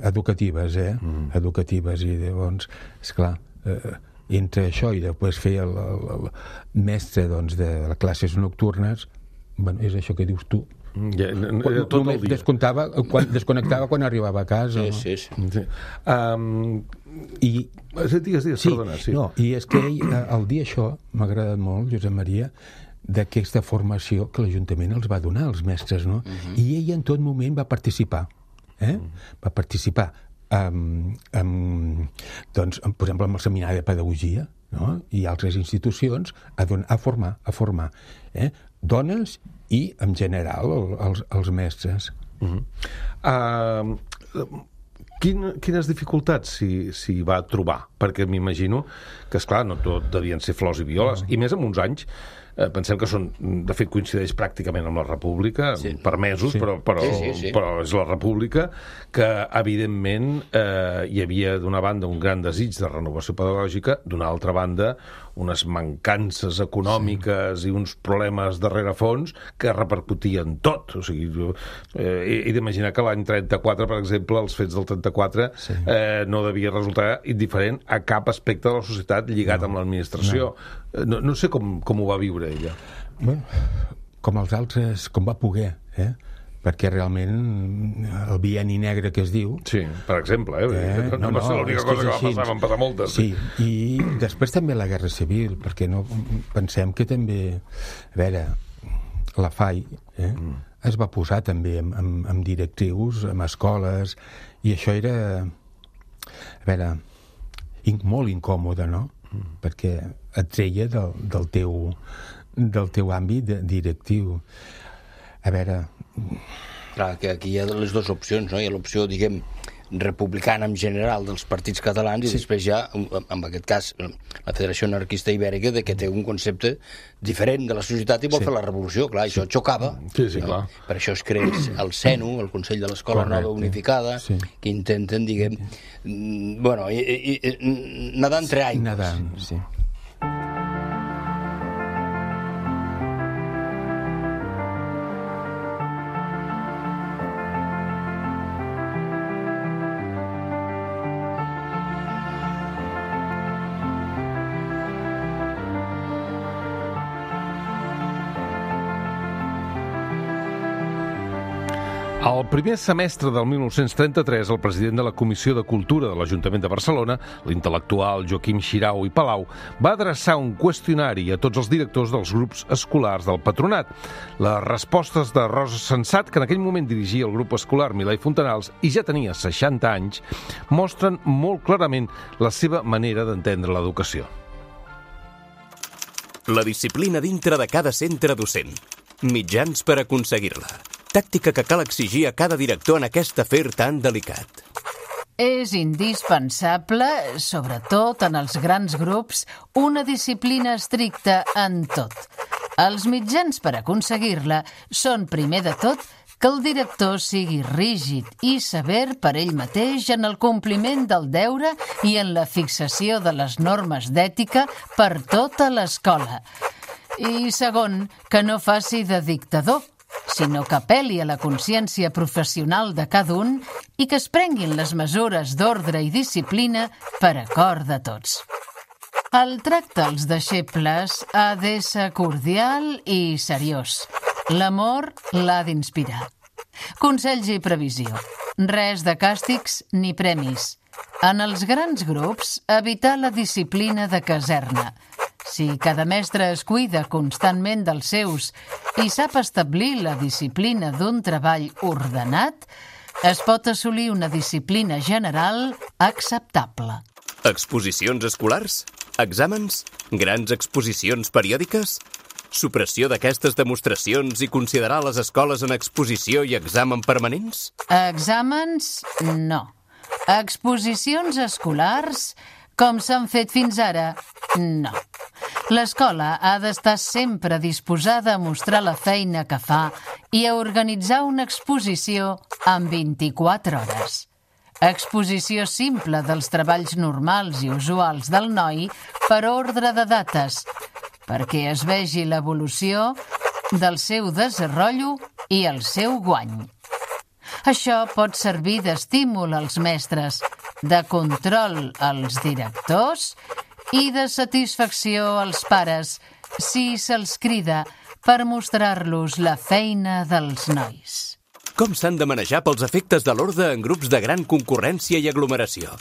educatives, eh? Mm. Educatives, i llavors, esclar, eh, entre això i després fer el, el, el mestre, doncs, de les classes nocturnes, bueno, és això que dius tu. Ja, quan, tot el dia. Descomptava, quan, desconnectava quan arribava a casa. Sí, sí, sí. sí. Um, I... Digues, digues, sí, perdona. Sí. No, i és que ell, el dir això, m'ha agradat molt, Josep Maria, d'aquesta formació que l'Ajuntament els va donar, als mestres, no? Uh-huh. I ell en tot moment va participar. Eh? Uh-huh. Va participar, um, um, doncs, per exemple, amb el Seminari de Pedagogia, no? I altres institucions, a, don- a formar, a formar. Eh? Dones i, en general, el, els, els mestres. Uh-huh. Uh, quin, quines dificultats s'hi, s'hi va trobar? Perquè m'imagino que, esclar, no tot devien ser flors i violes, uh-huh. i més en uns anys. Eh, pensem que són, de fet, coincideix pràcticament amb la República, sí. per mesos, sí. però, però, sí, sí, sí. però és la República, que, evidentment, eh, hi havia, d'una banda, un gran desig de renovació pedagògica, d'una altra banda, unes mancances econòmiques sí. i uns problemes de rerefons que repercutien tot. O sigui, eh, he, he d'imaginar que l'any trenta-quatre, per exemple, els fets del trenta-quatre, sí. eh, no devia resultar indiferent a cap aspecte de la societat lligat no. amb l'administració. No. No, no sé com, com ho va viure ella. Bé, com els altres, com va poder, eh? Perquè realment el bienni negre que es diu... Sí, per exemple, eh? eh no, no va ser l'única cosa que va passar, van passar moltes. Sí, i després també la Guerra Civil, perquè no pensem que també... A veure, la F A I eh? mm. es va posar també amb, amb, amb directrius, amb escoles, i això era... A veure, molt incòmode, no? Mm. Perquè et treia del, del, teu, del teu àmbit directiu. A veure... Clar, que aquí hi ha les dues opcions, no? Hi ha l'opció, diguem, republicana en general dels partits catalans, sí. I després ja, en aquest cas, la Federació Anarquista Ibèrica, de que té un concepte diferent de la societat i vol sí. fer la revolució. Clar, això sí. xocava. Sí, sí, no? clar. Per això es crea el CENU, el Consell de l'Escola Correcte. Nova Unificada, sí. que intenten, diguem, bueno, i, i, i, nedar entre aigües. Nedant, sí. Al primer semestre del mil nou-cents trenta-tres, el president de la Comissió de Cultura de l'Ajuntament de Barcelona, l'intel·lectual Joaquim Xirau i Palau, va adreçar un qüestionari a tots els directors dels grups escolars del patronat. Les respostes de Rosa Sensat, que en aquell moment dirigia el grup escolar Milà i Fontanals i ja tenia seixanta anys, mostren molt clarament la seva manera d'entendre l'educació. La disciplina dintre de cada centre docent. Mitjans per aconseguir-la. Tàctica que cal exigir a cada director en aquest afer tan delicat. És indispensable, sobretot en els grans grups, una disciplina estricta en tot. Els mitjans per aconseguir-la són, primer de tot, que el director sigui rígid i sever per ell mateix en el compliment del deure i en la fixació de les normes d'ètica per tota l'escola. I segon, que no faci de dictador, sinó que apel·li a la consciència professional de cada un i que es prenguin les mesures d'ordre i disciplina per acord de tots. El tracte als deixebles ha d'ésser cordial i seriós. L'amor l'ha d'inspirar. Consells i previsió. Res de càstigs ni premis. En els grans grups, evitar la disciplina de caserna. Si cada mestre es cuida constantment dels seus i sap establir la disciplina d'un treball ordenat, es pot assolir una disciplina general acceptable. Exposicions escolars? Exàmens? Grans exposicions periòdiques? Supressió d'aquestes demostracions i considerar les escoles en exposició i examen permanents? Exàmens, no. Exposicions escolars, com s'han fet fins ara, no. L'escola ha d'estar sempre disposada a mostrar la feina que fa i a organitzar una exposició en vint-i-quatre hores. Exposició simple dels treballs normals i usuals del noi per ordre de dates, perquè es vegi l'evolució del seu desenvolupament i el seu guany. Això pot servir d'estímul als mestres, de control als directors i de satisfacció als pares, si se'ls crida per mostrar-los la feina dels nois. Com s'han de manejar pels efectes de l'orde en grups de gran concurrència i aglomeració?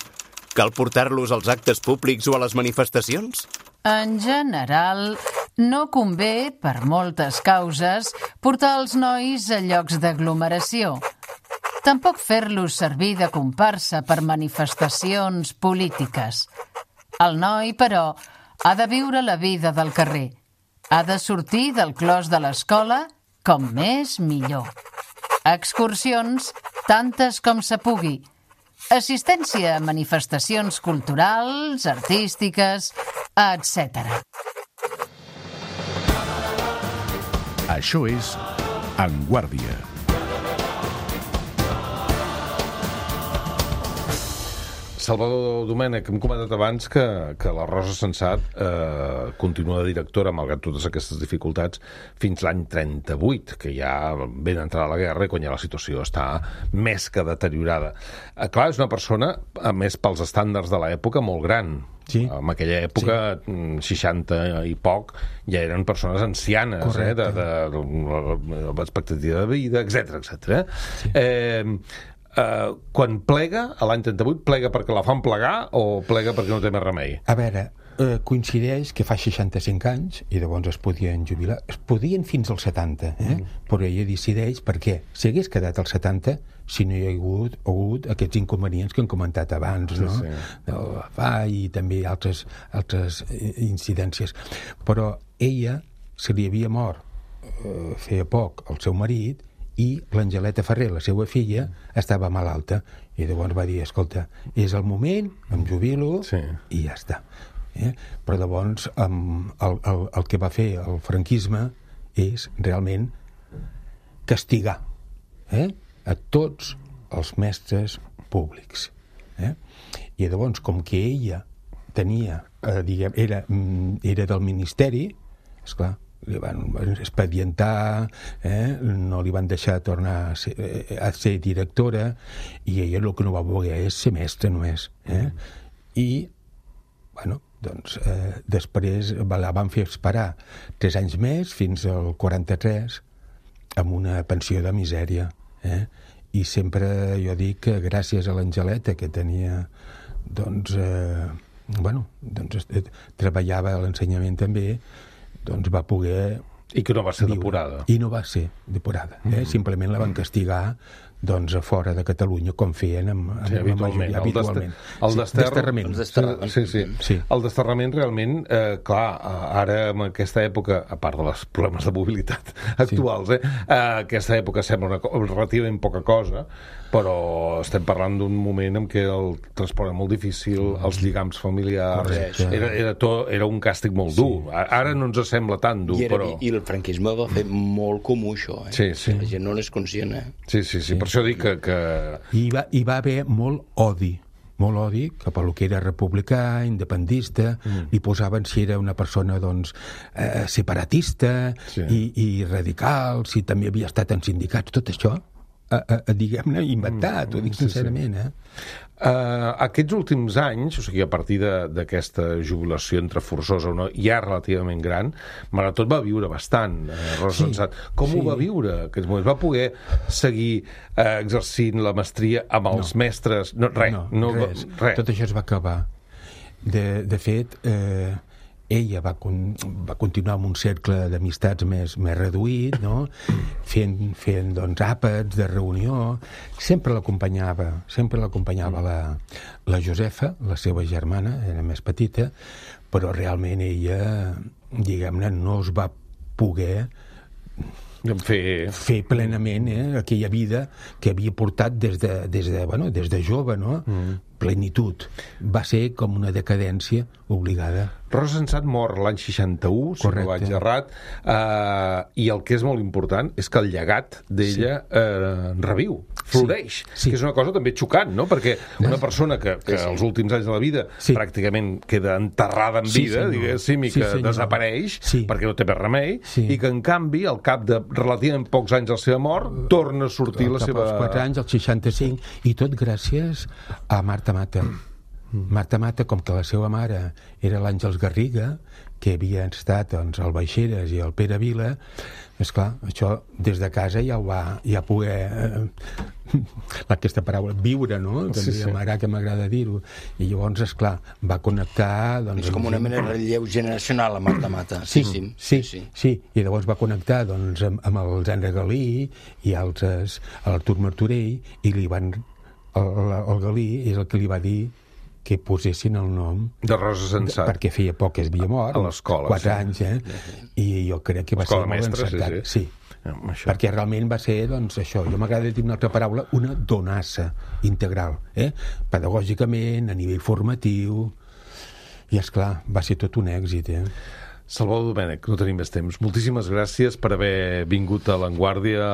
Cal portar-los als actes públics o a les manifestacions? En general, no convé, per moltes causes, portar els nois a llocs d'aglomeració. Tampoc fer-los servir de comparsa per manifestacions polítiques. El noi, però, ha de viure la vida del carrer. Ha de sortir del clos de l'escola com més millor. Excursions, tantes com se pugui. Assistència a manifestacions culturals, artístiques, etcètera. Això és En Guàrdia. Salvador Domènech, hem comentat abans que, que la Rosa Sensat eh, continua de directora, malgrat totes aquestes dificultats, fins l'any trenta-vuit, que ja ben entrada la guerra i quan ja la situació està més que deteriorada. Eh, clar, és una persona, a més pels estàndards de l'època, molt gran. Sí. En aquella època, sí. seixanta i poc, ja eren persones ancianes, eh, de, de, de, de expectativa de vida, etcètera, etcètera. Sí. Eh, Uh, quan plega, a l'any trenta-vuit, plega perquè la fan plegar o plega perquè no té més remei? A veure, eh, coincideix que fa seixanta-cinc anys i llavors es podien jubilar. Es podien fins als setanta, eh? Mm. Però ella decideix perquè si hagués quedat als setanta, si no hi ha hagut, hagut aquests inconvenients que hem comentat abans, no? Sí, sí. Del fa i també altres, altres incidències. Però ella se li havia mort eh, feia poc el seu marit i l'Angeleta Ferrer, la seva filla, estava malalta. I llavors va dir, escolta, és el moment, em jubilo, sí. I ja està. Eh? Però llavors um, el, el, el que va fer el franquisme és realment castigar eh? a tots els mestres públics. Eh? I llavors, com que ella tenia, eh, diguem, era, era del ministeri, esclar, li van expedientar, eh? No li van deixar tornar a ser, a ser directora i ella el que no va voler és ser mestra només. Eh? I, bueno, doncs eh, després la van fer esperar tres anys més, fins al quaranta-tres, amb una pensió de misèria. Eh? I sempre jo dic que gràcies a l'Angeleta, que tenia, doncs, eh, bueno, doncs, eh, treballava a l'ensenyament també, doncs va poder... I que no va ser viure. Depurada. I no va ser depurada. Eh? Mm. Simplement la van castigar doncs a fora de Catalunya, com feien amb, amb sí, habitualment. La majoria, habitualment. El desterrament. desterrament. Sí, sí. sí. El desterrament realment, eh, clar, ara en aquesta època, a part dels problemes de mobilitat actuals, eh, eh, aquesta època sembla una, relativament poca cosa, però estem parlant d'un moment en què el transport era molt difícil, els lligams familiars... Era, era, tot, era un càstig molt dur. Sí. Ara no ens sembla tan dur, I era, però... I el franquisme va fer molt comú, això. Eh? Sí, sí. La gent no n'és conscient, eh? Sí, sí, sí, sí. Per això dic que... que... I, va, I va haver molt odi, molt odi cap a lo que era republicà, independentista, mm. li posaven si era una persona, doncs, eh, separatista sí. i, i radical, si també havia estat en sindicats, tot això, eh, eh, diguem-ne, inventat, mm. ho dic sincerament, eh? Uh, aquests últims anys, o sigui, a partir d'aquesta jubilació entre forçosa o no, ja relativament gran, malgrat tot va viure bastant, uh, Rosa Sensat. Sí, Com sí. ho va viure, aquests moments? Va poder seguir uh, exercint la mestria amb els no. mestres? No, res, no, no, res. res. Tot això es va acabar. De, de fet, eh, ella va, con, va continuar amb un cercle d'amistats més, més reduït, no? fent, fent doncs, àpats de reunió. Sempre l'acompanyava, sempre l'acompanyava la, la Josefa, la seva germana, era més petita, però realment ella, diguem-ne, no es va poder fer, fer plenament eh, aquella vida que havia portat des de, des de, bueno, des de jove, no? Mm. plenitud. Va ser com una decadència obligada. Rosa Sensat mor l'any seixanta-u, si no vaig errat, eh, i el que és molt important és que el llegat d'ella sí. eh, reviu, floreix, sí. Sí. que és una cosa també xocant, no? Perquè una persona que, que sí, sí. als últims anys de la vida sí. pràcticament queda enterrada en vida, sí, diguéssim, i sí, que senyor. desapareix sí. perquè no té més remei, sí. i que en canvi, al cap de relativament pocs anys de la seva mort, torna a sortir al la seva... Als quatre anys, als seixanta-cinc, i tot gràcies a Marta Mata. Marta Mata, com que la seva mare era l'Àngels Garriga, que havia estat doncs, al Baixeres i al Pere Vila, esclar, això des de casa ja ho va ja poder eh, aquesta paraula, viure, no? Que sí, sí. M'agrada, que m'agrada dir-ho. I llavors, esclar, va connectar... Doncs, és com una mena de relleu generacional, la Marta Mata. Sí, sí, sí, sí, sí. I llavors va connectar doncs, amb, amb el Zandra Galí i altres, l'Artur Martorell, i li van... El, el Galí és el que li va dir que posessin el nom de Rosa Sensat, perquè feia poc que es havia mort, a l'escola, quatre sí. anys, eh? I jo crec que va escola ser mestra, molt encertat. Sí, sí. sí. Perquè realment va ser, doncs, això, jo m'agrada dir una altra paraula, una donassa integral, eh? Pedagògicament, a nivell formatiu, i esclar, va ser tot un èxit, eh? Salvador Domènech, no tenim més temps. Moltíssimes gràcies per haver vingut a l'Avantguàrdia.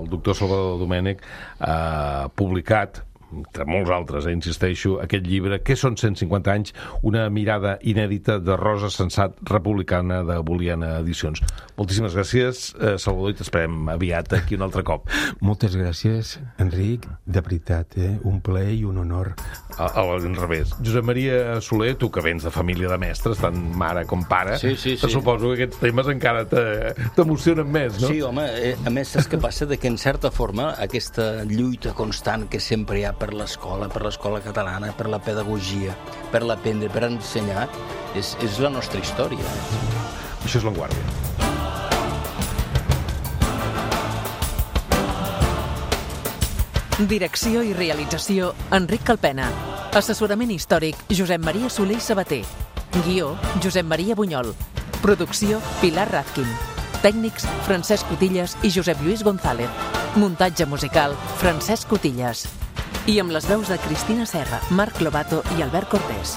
El doctor Salvador Domènech ha publicat, entre molts altres, eh, insisteixo, aquest llibre, Què són cent cinquanta anys? Una mirada inèdita de Rosa Sensat, republicana, de Boliana Edicions. Moltíssimes gràcies, eh, Salvador, i t'esperem aviat aquí un altre cop. Moltes gràcies, Enric, de veritat, eh? Un plaer i un honor. A, a l'inrevés. Josep Maria Soler, tu que vens de família de mestres, tant mare com pare, sí, sí, sí. suposo que aquests temes encara t'emocionen més, no? Sí, home, eh, a més, saps què passa? De que, en certa forma, aquesta lluita constant que sempre hi ha per l'escola, per l'escola catalana, per la pedagogia, per l'aprendre, per ensenyar, és, és la nostra història. Això és l'Avantguàrdia. Direcció i realització, Enric Calpena. Assessorament històric, Josep Maria Soler i Sabater. Guió, Josep Maria Bunyol. Producció, Pilar Razkin. Tècnics, Francesc Cotillas i Josep Lluís González. Muntatge musical, Francesc Cotillas. I amb les veus de Cristina Serra, Marc Lobato i Albert Cortés.